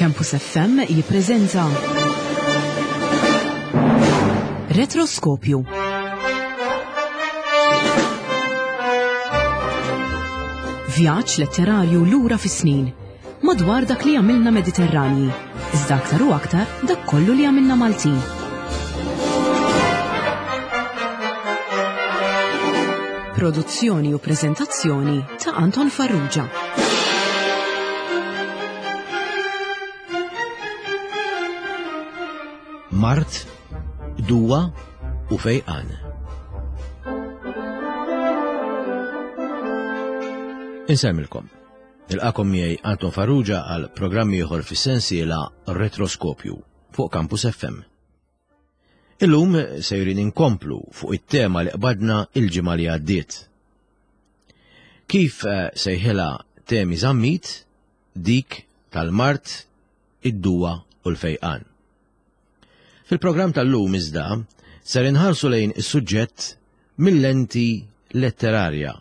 Campus FM jippreżenta Retroskopju. Vjaġġ letterarju lura fis-snin madwar dak li għamilna Mediterranji, iżda aktar u aktar dak kollu li għamilna Maltin. Produzzjoni u preżentazzjoni ta' Anton Farrugia. Mart, Duwa u Fejqan. Insemmilkom. Nilqakom miegħi Anton Farrugia għal programm ieħor fis-sensiela Retroskopju fuq Campus FM. Illum sejrin inkomplu fuq it-tema li qbadna il-ġimgħa li għaddiet. Kif eh, sejħilha temi zammit dik tal-mart, id-duwa u l-fejqan. Fil-programm tal-lum iżda ser inħarsu lejn is-suġġett mill-lenti letterarja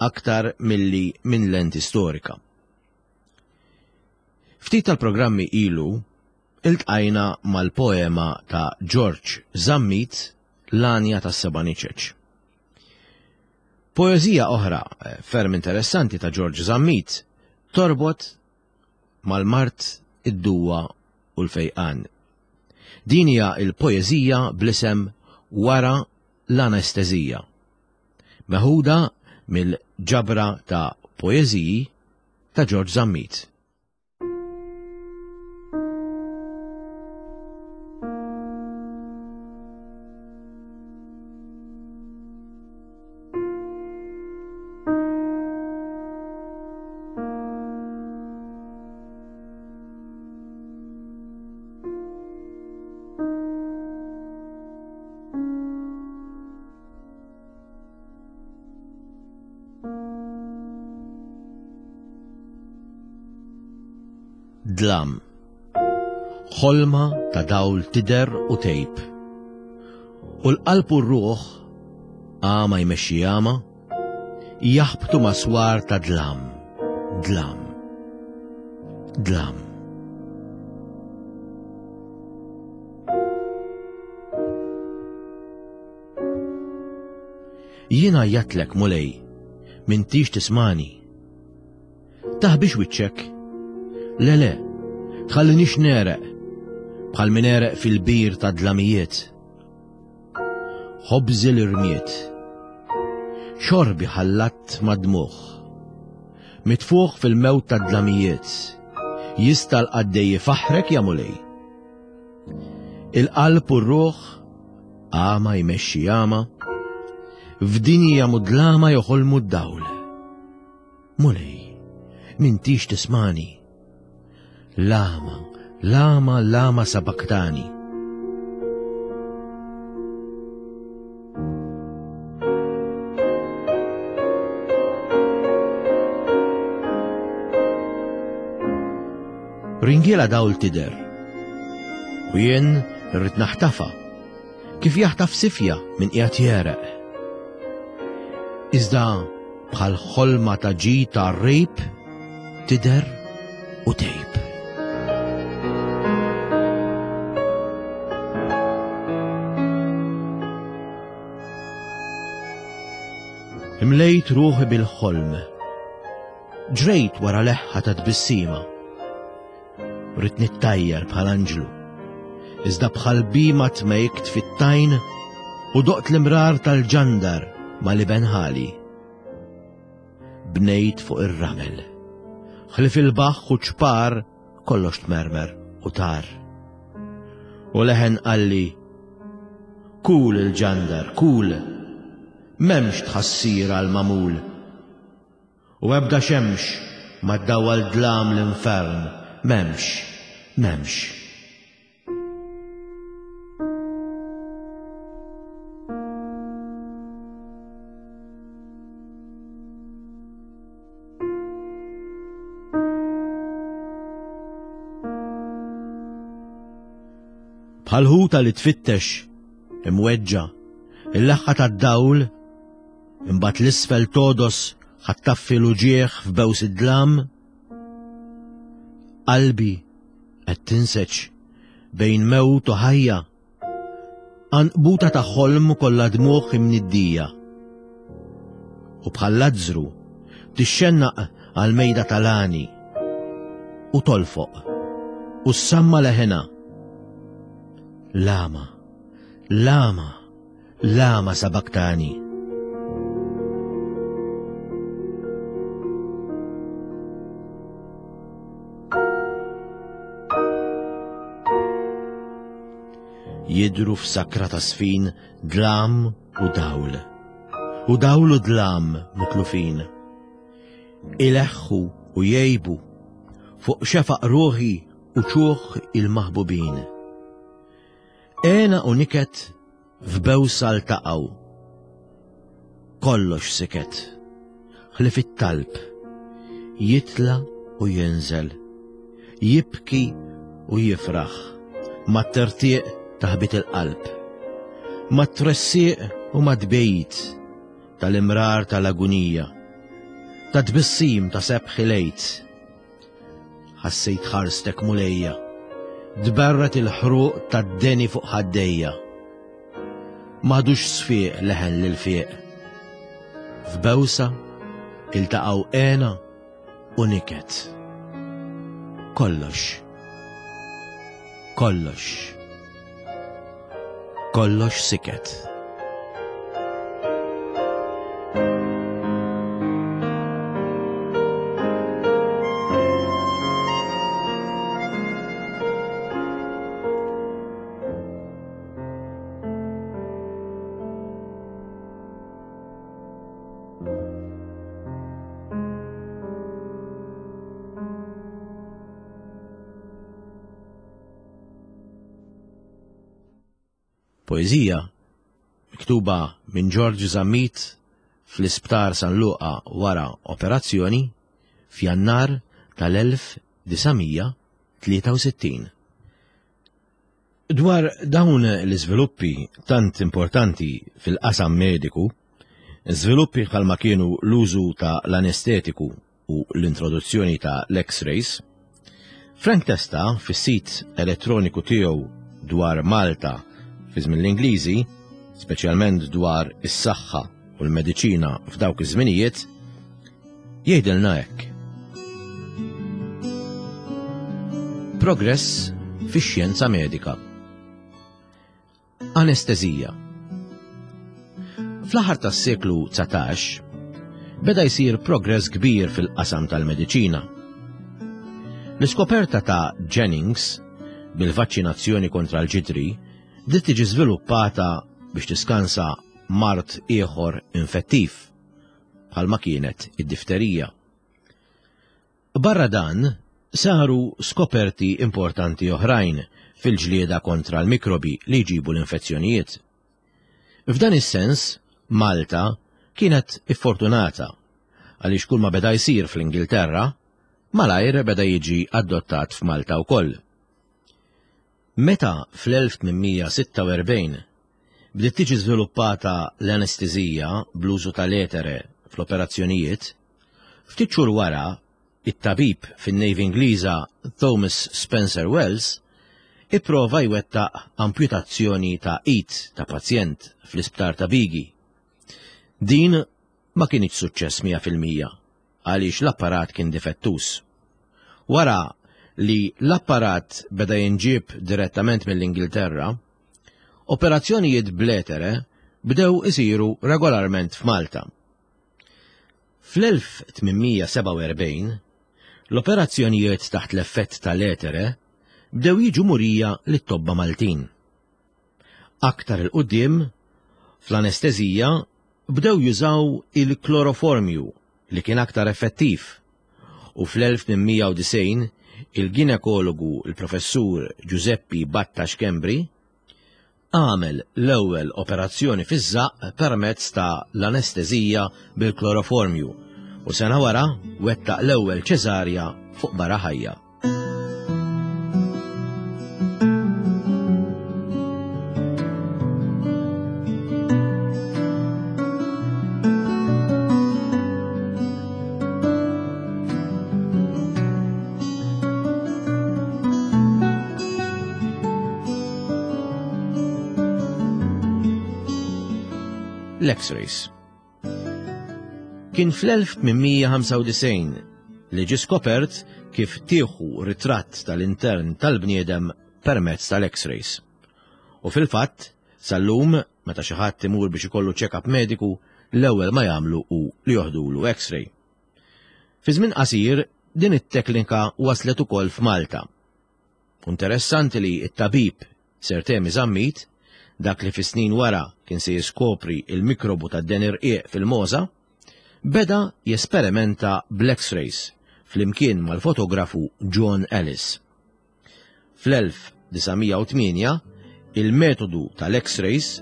aktar milli minn lenti storika. Ftit tal-programmi ilu iltqajna mal-poema ta' George Zammit L-Għanja tas-Seba' Niċeċ. Poeżija oħra eh, ferm interessanti ta' George Zammit torbot mal-mart, id-duwa u l-fejqan. Din hija l-poeżija bl-isem Wara l-Anestezija. Meħuda mill-ġabra ta' poeżiji ta' George Zammit. Dlam. Ħolma ta' dawl tidher u tgħib. U l-qalb u r-ruħ, għama jmexxi għama, jaħbtu ma' swar ta' dlam, dlam, dlam. Jien għajjatlek, Mulej, m'intix tismani. Taħbix wiċċek. Le le, tħallinix nereq, bħal min għereq fil-bir ta' dlamijiet. Ħobżi l-irmiet. Xorbi ħallatt mad-dmugħ. Mitfuħ fil-mewt ta' dlamijiet. Jista' l-qaddej ifaħħrek ja Mulej. Il-qalb u r-ruħ għama jmexxi għama, f'dinja mudlama joħolmu d-dawl. Mulej, m'intix tismani. Lama, lama, lama sabaktani. Ringiela dawl tidher. U jien irrid naħtafa. Kif jaħtaf sifja minn qiegħed jereq. Iżda bħal ħolma ta' ġi ta' rejb tidher u tgħib. Imlejt ruħi bil-ħolm. Ġrejt wara leħħa ta' tbissima. Ridt nittajjar bħal anġlu. Iżda bħal bima tmejkt fit-tajn u doqt l-imrar tal-ġandar ma' liben ħali. Bnejt fuq ir-ramel. Ħlif il-baħħ u ċpar kollox tmermer u tar. U leħen qalli, Kul il-ġandar, kul, m'hemmx tħassir għall-magħmul. U ebda xemx ma ddawwal dlam l-infern, m'hemmx, m'hemmx. Bħal ħuta li tfittex, imweġġa', il-leħħa tad-dawl, imbagħad l-isfel todos ħattaffi l-uġieħ f'bews id-dlam. Qalbi. Qed tinseġ bejn mewt u ħajja. Għanqbuta ta' ħolm kollha dmugħ imniddija. U bħal Lazzru tixxennaq għal mejda tal-għani u tolfoq u ssamma leħena. Lama, lama, lama sabaktani. Jidhru f'sakra ta' sfin dlam u dawl. U dawl u dlam mitlufin. Ileħħu u jgħibu fuq xefaq ruħi u ċuħ il-maħbubin. Għena u niket F'bewsa ltaqgħu. Kollox siket, ħlief it-talb. Jitla' u jinżel, jibki u jifraħ mat-tertieq ta' ħbit il-qalb, mat-tressieq u mat-tbegħid tal-imrar tal-agunija, tat-tbissim ta' sebħ il-Għid. Ħassejt ħarstek Mulejja, tberret il-ħruq tad-deni fuq ħaddejja. M'għadux sfiq leħen lil fiq. F'bewsa iltaqgħu għena u niket. Kollox. Kollox. Kollox siket. Poeżija miktuba minn George Zammit fl-Isptar San Luqa wara operazzjoni f'Jannar tal-1963. Dwar dawn l-iżviluppi tant importanti fil-qasam mediku, żviluppi bħalma kienu l-użu ta' l-anestetiku u l-introduzzjoni ta' l-X-rays, Frank Testa fis-sit elettroniku tiegħu dwar Malta fi żmien l-Ingliżi, speċjalment dwar is-saħħa u l-mediċina f'dawk iż-żminijiet, jgħidilna hekk. Progress fix-xjenza medika. Anestezija. Fl-aħħar tas-seklu 19 beda jsir progress kbir fil-qasam tal-mediċina. L-iskoperta ta' Jennings bil-vaċċinazzjoni kontra l-ġidri bdiet tiġi żviluppata biex tiskansa mard ieħor infettiv, bħalma kienet id-difterija. Barra dan, saru skoperti importanti oħrajn fil-ġlieda kontra l-mikrobi li jġibu l-infezzjonijiet. F'dan is-sens, Malta kienet iffortunata għaliex kulma beda jsir fl-Ingilterra, malajr beda jiġi adottat f'Malta wkoll. Meta fl-1846 bdiet tiġi żviluppata l-anestesija bl-użu tal-etere fl-operazzjonijiet, ftit xhur wara, it-tabib fin-Navy Ingliża Thomas Spencer Wells ipprova jwettaq amputazzjoni ta' id ta' pazjent fl-isptar ta' Bigi. Din ma kinitx suċċess 100% għaliex l-apparat kien difettuż. Wara li l-apparat beda jinġieb direttament mill-Ingilterra, operazzjonijiet bl-etere bdew isiru regolarment f'Malta. Fl-1847, l-operazzjonijiet taħt l-effett tal-etere bdew jiġu murija lit-tobba Maltin. Aktar 'il quddiem, fl-anesteżija bdew jużaw il-kloroformju li kien aktar effettiv u fl-1890 il-ginekologu l-Professur Ġużeppi Batta Schembri għamel l-ewwel operazzjoni fiż-żaqq permezz ta' l-anesteżija bil-kloroformju u sena wara wettaq l-ewwel ċesarja fuq mara ħajja. L-X-rays. Kien fl-1895 li ġie skopert kif tieħu ritratt tal-intern tal-bniedem permezz tal-X-rays. U fil-fatt, sal-lum, meta xi ħadd imur biex ikollu check-up mediku, l-ewwel ma jagħmlu hu li joħdulu X-ray. Fi żmien qasir, din it-teknika waslet ukoll f'Malta. Interessanti li t-tabib Sir Temi Zammit, dak li fis-snin wara kien se jiskopri l-mikrobu tad-deni rqiq fil-mogħża, beda jesperimenta bl-X-rays flimkien mal-fotografu John Ellis. Fl-1908, il-metodu tal-X-rays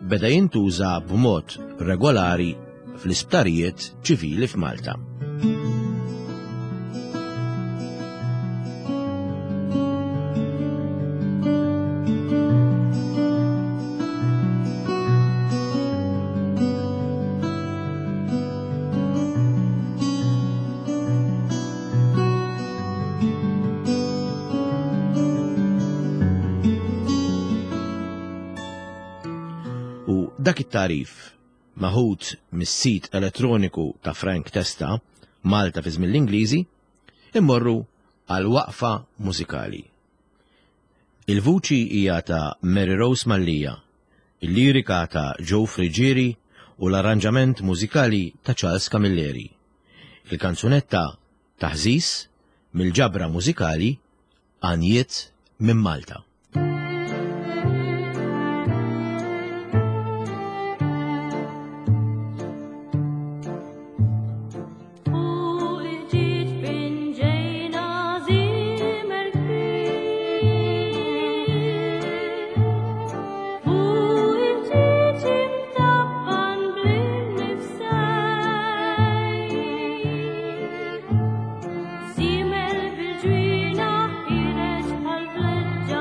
beda jintuża b'mod regolari fl-isptarijiet ċivili f'Malta. U dak it-tagħrif maħud mis-sit elettroniku ta' Frank Testa, Malta fi żmien l-Ingliżi, immorru għal waqfa mużikali. Il-vuċi hija ta' Mary Rose Mallia, il-lirika ta' Joe Friggieri u l-arranġament mużikali ta' Charles Camilleri. Il-kanzunetta Taħżiż mill-ġabra mużikali Għanjiet minn Malta. Żiemel bil-ġwienaħ ħiereġ bħal vleġġa.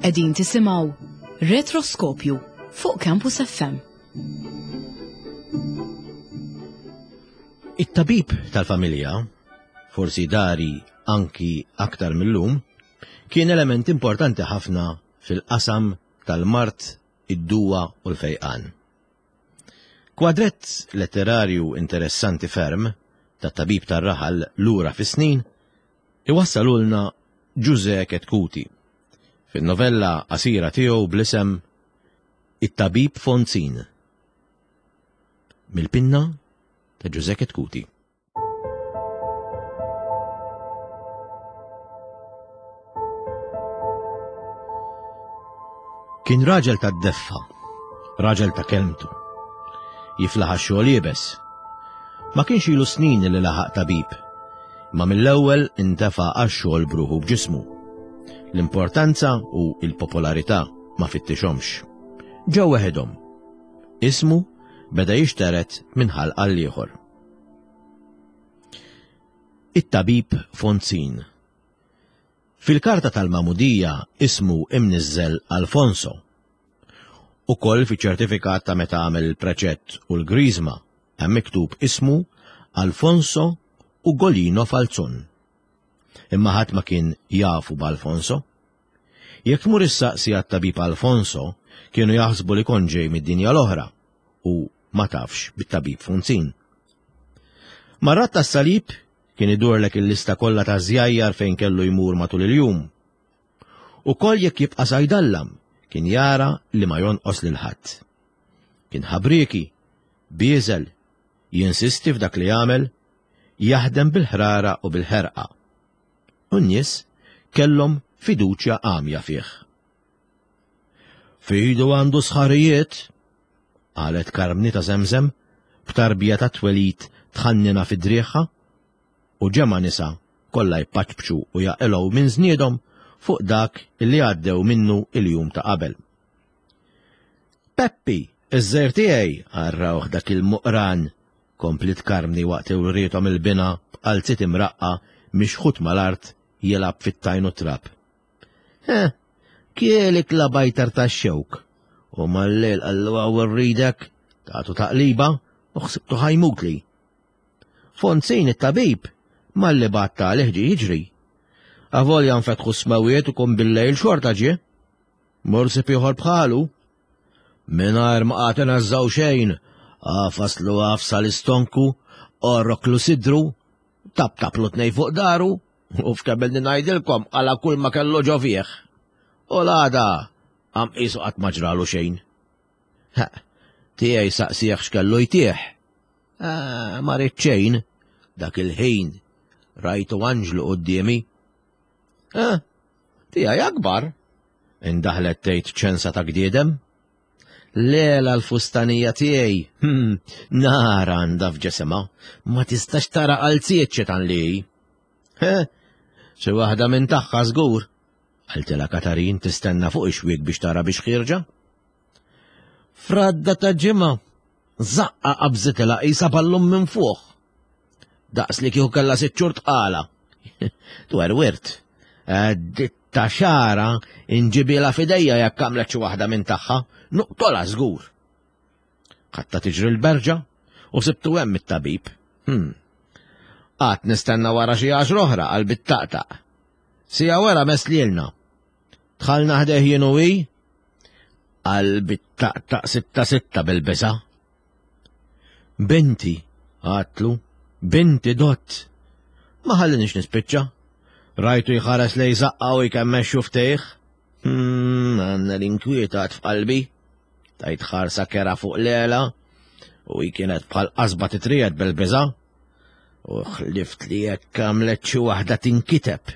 Qegħdin tisimgħu Retroskopju fuq Campus FM. It-tabib tal-familja, forsi dari anki aktar mill-lum, kien element importanti ħafna fil-qasam tal-mard, id-duwa u l-fejqan. Kwadrett letterarju interessanti ferm tat-tabib tar-raħal lura fis-snin iwassalulna Ġużè Chetcuti fin-novella qasira tiegħu bl-isem It-Tabib Fonzin. Mill-pinna ta' Ġużè Chetcuti. Kien raġel ta' deffa, raġel ta' kelmtu. Jiflaħ għax-xogħol iebes. Ma kienx ilu snin li laħaq tabib, imma mill-ewwel intefa' għax-xogħol b'ruħu b'ġismu. L-importanza u l-popolarità ma fittixhomx. Ġew weħidhom. Ismu beda jixteret minn ħalq għal ieħor. It-tabib Fonzin. Fil-karta tal-magħmudija ismu imniżżel Alfonso. Ukoll fiċ-ċertifikat ta' meta għamel il-preċett u l-griżma hemm miktub ismu Alfonso Ugolino Falzon. Imma ħadd ma kien jafu b'Alfonso. Jekk tmur issaqsi għat-tabib Alfonso, kienu jaħsbu li kont ġej mid-dinja l-oħra u ma tafx bit-tabib Funzin. Marrat tas-salib Kien idurlek il-lista kollha ta' żjajjar fejn kellu jmur matul il-jum. Ukoll jekk jibqa' sa jdallam, kien jara li ma jonqos lil ħadd. Kien ħabrieki, bieżel, jinsisti f'dak li jagħmel, jaħdem bil-ħrara u bil-ħerqa. U n-nies kellhom fiduċja għamja fih. F'idu għandu sħarijiet, qalet Karmni ta' Żemżem b'tarbija tat-twelid tħannina fi driegħha, u ġemgħa nisa kollha jpaċpċu u jaqilgħu minn żniedhom fuq dak li għaddew minnu l-jum ta' qabel. Peppi, iż-żgħir tiegħi, għarrawh dak il-muqran, kompliet Karmni waqt li wriethom il-binha b'qalziet imraqqa' mixħut mal-art jilgħab fit-tajn u t-trab. Eh, kielik la bajtar ta' xewk. U mal-lejl qallu għaw rridek, tagħtu taqliba u ħsibtu ħajmutli. Fonzin it-tabib malli bat talih ġie jiġri. Avolja nfetħu s-smawiet u kum bil-lejl xorta ġie. Mur sib ieħor bħalu. Mingħajr ma qagħad ineżżgħu xejn, għafaslu għafsa l-istonku, orroklu sidru, taptaplu tnej fuq daru, U f'kemm ngħidilkom għala kull ma kellu ġo fih. U l-għada għam qisu qatt ma ġralu xejn. Ha, tiegħi saqsieħ x'kellu jtieħ. Ah, ma ried xejn, dak il-ħin rajtu anġlu quddiemi. Ah, tiegħi akbar, indaħlet tgħid ċensa ta' gdiedem. Lela l-fustanija tiegħi, hmm, nar għandha f'ġesimha, ma tistax tara qalziet xitan li hi. He, xi waħda minn tagħha żgur, qaltilha Katarin tistenna fuq ix-xwiek biex tara biex ħierġa. Fradda ta' ġimgħa, żaqqa qabżitilha qisha ballun minn fuq. Daqs li kieku kellha sitt xhur tqala. Twerwirt. Ditta xara inġibilha f'idejja jekk għamlet xi waħda minn tagħha, nuqtolha żgur. Ħatta tiġri l-berġa u sibtu hemm it-tabib. Hmm. Qatt nistenna wara xi għaxra oħra qalbi taqtaq. Sija wara mess lilna. Dħalna ħdejh jien u hi, qalbi taqtaq sitta sitta bil-biża'. Binti, għatlu, binti dott. Ma ħallinix nispiċċa. Rajtu jħares lej zaqqa u jkemmex xuftejh. Hmm, għanna l-inkwiet għad f'qalbi. Tajt ħarsa kera fuq lela u hi kienet bħal qasba titrijet bil-biża. U ħlift li jekk għamlet xi waħda tinkiteb.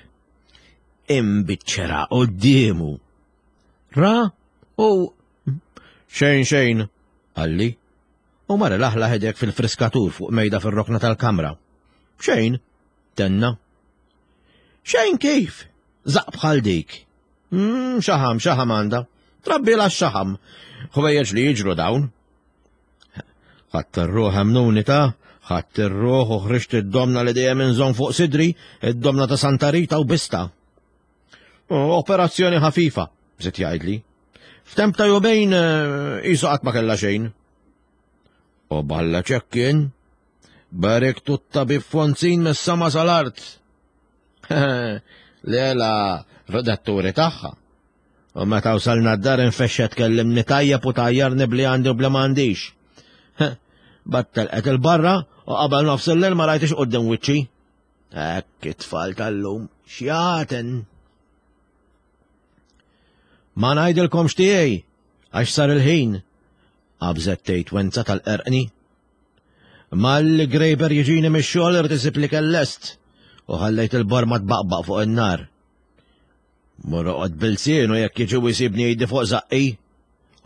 Imbiċċera quddiemu. Ra u xejn xejn, qalli. U mar laħla ħedek fil-friskatur fuq mejda fir-rokna tal-kamra. Xejn, tenna. Xejn kif? Zaq bħal dik. Mm, xaħam, xaħam għandha. Trabbi la xaħam. Ħwejjeġ li jiġru dawn. Ħadd ir-ruħ emnuni ta' ħadd ir-ruħ u ħriġt id-domna li dejjem inżomm fuq sidri, id-domna ta' Santa Rita u bista. Operazzjoni ħafifa. Żied jgħidli. F'temp ta' jumejn eh, qisu qatt ma kellha xejn. U balla ċekkin, barek tutta tabib Fonzin mis-sama sal-art. Lela redatturi tagħha. U meta wasalna d-dar infexxa tkellimni tajjeb u tajjarni bli għandi u bli m'għandix. Battel qed il-barra u qabel nofs il-lejl ma rajtix qudiem wiċċi. Hekk it-tfal tal-lum xjaten. Ma ngħidilkomx tiegħi għax sar il-ħin, qabżet tgħid Wenza tal-qerqni. Malli Grejber jiġini mix-xogħol irid isib li lest u ħallejt il-borma tbaqbaq fuq in-nar. Mur oqgħod bilsienu jekk jiġi u jsibni jdi fuq żaqqi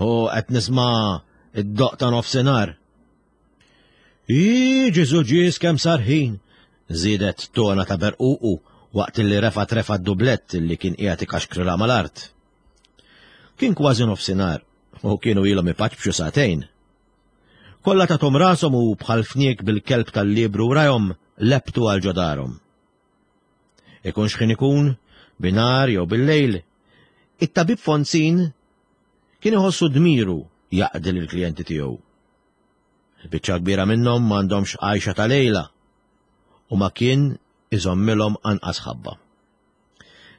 u qed nisma' id-doq ta' nofsinhar. Ii, Ġesu ġies kemm sar ħin, żiedet tona ta' berququ waqt li refat refa d-dublett li kien qiegħed ikaxkrilha mal-art. Kien kważi nofsinhar u kienu ilhom ipaċbxu sagħtejn. Kollha tathom rashom u bħal fniek bil-kelb tal-liebru wrajhom lebtu għal ġo darhom. Ikun x'ħin ikun, binhar jew bil-lejl, it-tabib Fonzin kien iħossu dmiru jaqdi lill-klijenti tiegħu. Il-biċċa kbira minnhom m'għandhomx għajxa ta' lejla u ma kien iżommilhom anqas ħabba.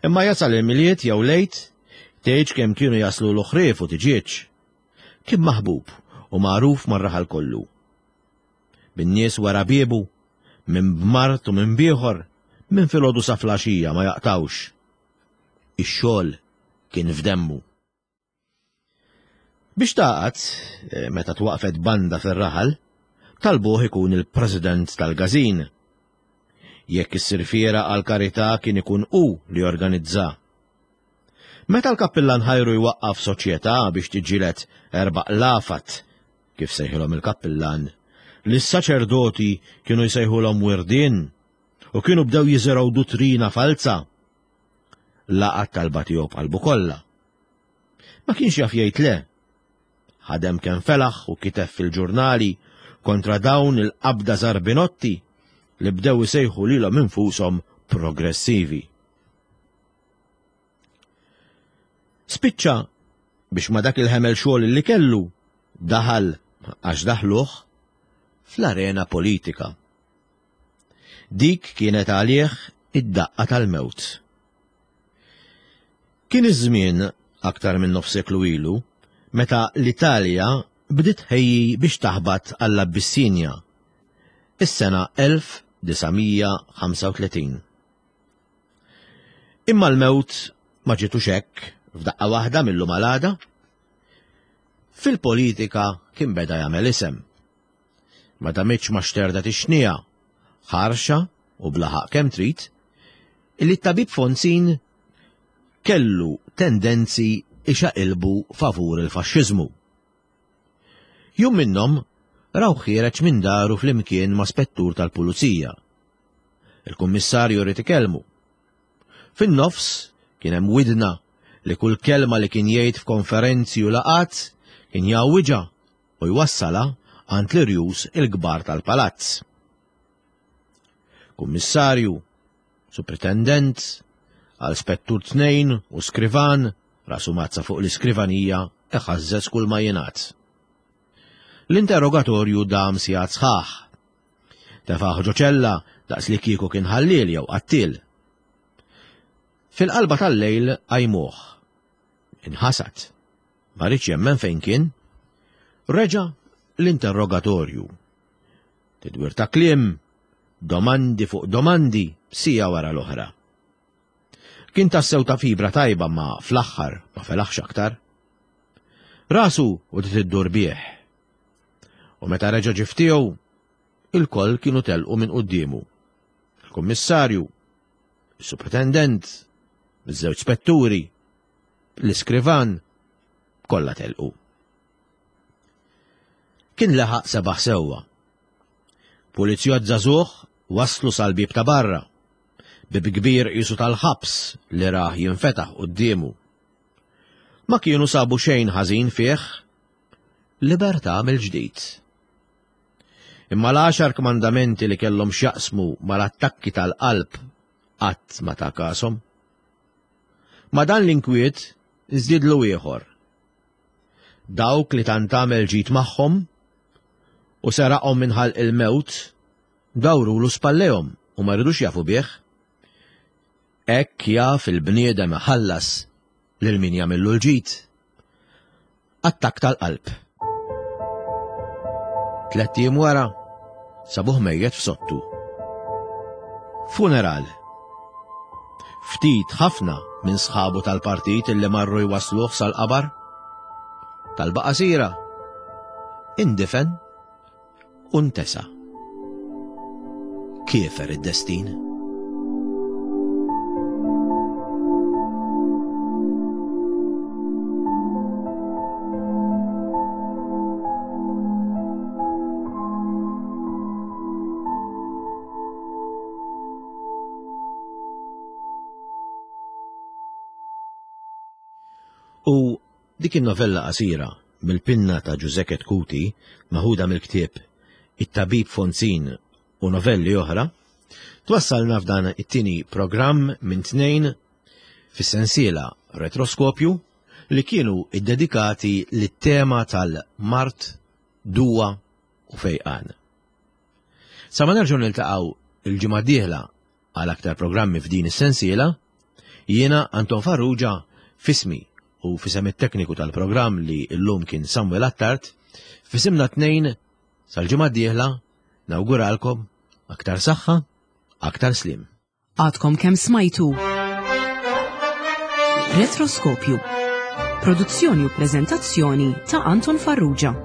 Imma jasal il-Milied jew l-Għid, tgħidx kemm kienu jaslulu ħrief u tiġieġ. Kien maħbub u magħruf mar-raħal kollu. Bin-nies wara biebu, minn b'mard u minn b'ieħor, minn filgħodu sa flaxija ma jaqtgħux. Ix-xogħol kien f'demmu. Biex tagħqad, eh, meta twaqfet banda fir-raħal, talbuh ikun il-president tal-gazin. Jekk issir fiera għal karità kien ikun hu li jorganizza. Meta l-kappillan ħajru jwaqqaf soċjetà biex tiġġieled erba' qlafat, kif sejħilhom il-kappillan, li s-saċerdoti kienu jsejħulhom wirdien u kienu bdew jiżirgħu duttrina falza, laqat talba tiegħu b'qalbu kollha. Ma kienx jaf jgħid le. Ħadem kemm felaħ u kiteb fil-ġurnali kontra dawn il-qabda żarbinotti li bdew isejħu lilhom infushom progressivi. Spiċċa biex ma dak il-ħemel xogħol li kellu daħal għax daħluh fl-arena politika. Dik kienet għalih id-daqqa tal-mewt. Kien iż-żmien aktar minn nofs seklu ilu meta l-Italja bdiet tħejji biex taħbat għall-Abbissinja, is-sena 1935. Imma l-mewt ma ġietux hekk f'daqqa waħda mil-lum għal għada. Fil-politika kien beda jagħmel isem. Ma damitx ma xterdet ix-xniegħa, ħarxa u bla ħaqq kemm trid, illi t-tabib Fonzin kellu tendenzi ixaqilbu favur il-faxxiżmu. Jum minnhom raw ħiereġ minn daru flimkien ma' spettur tal-pulizija. Il-kummissarju ried ikellmu. Fin-nofs kien hemm widna li kull kelma li kien jgħid f'konferenzi u laqgħat kien jgħawwiġha u jwassalha għand l-irjus il-kbar tal-palazz. Kummissarju, supritendent, għal spettur tnejn u skrivan, rasu mazza fuq l-iskrivanija iħażżeż kull ma jingħad. L-interrogatorju dam sigħat sħaħ. Tefaħ ġo ċella daqs li kieku kien ħalliel jew qattiel. Fil-qalba tal-lejl qajmuh. Inħasad. Ma riedx jemmen fejn kien. Reġa' l-interrogatorju. Tidwir ta' kliem, domandi fuq domandi, siegħa wara l-oħra. Kien tassew ta' fibra tajba ma fl-aħħar ma felaħx aktar. Rasu u iddur bih. U meta reġa' ġie f'tiegħu, ilkoll kienu telqu minn quddiemu. Il-kummissarju, is-supretendent, iż-żewġ spetturi, l-iskrivan, kollha telqu. Kien laħaq sebaħ sewwa. Pulizjott żagħżugħ wasslu sal-bieb ta' barra. Bieb kbir qisu tal-ħabs li rah jinfetaħ quddiemu. Ma kienu sabu xejn ħażin fih. Libertà mill-ġdid. Imma l-għaxar kmandamenti li kellhom x'jaqsmu mal-attakki tal-qalb qatt ma ta' kashom. Ma' dan l-inkwiet. żdiedlu ieħor. Dawk li tant għamel ġid magħhom u seraqhom minn ħalq il-mewt, dawrulu spallejhom u ma ridux jafu bih. Hekk jaf il-bniedem iħallas lil min jagħmillu l-ġid. Attakk tal-qalb. Tlett ijiem wara, sabuh mejjet f'sottu. Funeral. Ftit ħafna minn sħabu tal-partit illi marru jwassluh sal-qabar. Talba qasira. Indifen u ntesa. Kiefer id-destin. U dik in-novella qasira mill-pinna ta' Ġużè Chetcuti, maħuda mill-ktieb It-Tabib Fonzin u Novelli Oħra, twassalna f'dan it-tieni programm minn tnejn fis-sensiela Retroskopju li kienu ddedikati lit-tema tal-mard, duwa u fejqan. Sa ma nerġgħu niltaqgħu l-ġimgħa d-dieħla għal aktar programmi f'din is-sensiela, jiena Anton Farrugia f'ismi u f'isem it-tekniku tal-programm li llum kien Samuel Attard, f'isimna tnejn sal-ġimgħa d-dieħla nawguralkom aktar saħħa, aktar sliem. Għadkom kemm smajtu Retroskopju. Produzzjoni u preżentazzjoni ta' Anton Farrugia.